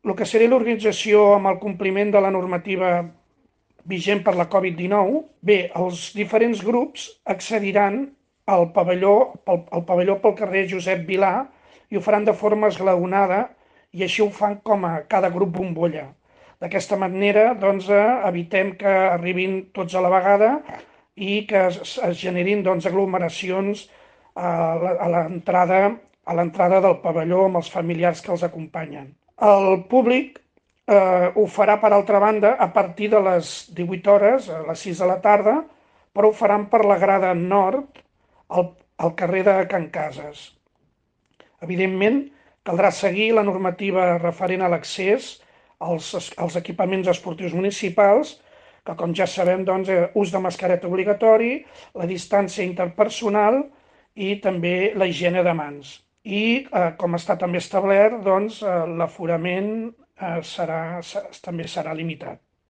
el que seria l'organització amb el compliment de la normativa vigent per la Covid-19, bé, els diferents grups accediran al pavelló pel carrer Josep Vilà i ho faran de forma esglaonada i així ho fan com a cada grup bombolla. D'aquesta manera, doncs, evitem que arribin tots a la vegada i que es generin doncs, aglomeracions a l'entrada del pavelló amb els familiars que els acompanyen. El públic ho farà, per altra banda, a partir de les 18 hores, a les 6 de la tarda, però ho faran per la grada nord, al carrer de Can Cases. Evidentment, caldrà seguir la normativa referent a l'accés als equipaments esportius municipals, que com ja sabem, doncs, ús de mascareta obligatori, la distància interpersonal i també la higiene de mans. I, com està també establert, doncs, l'aforament també serà limitat.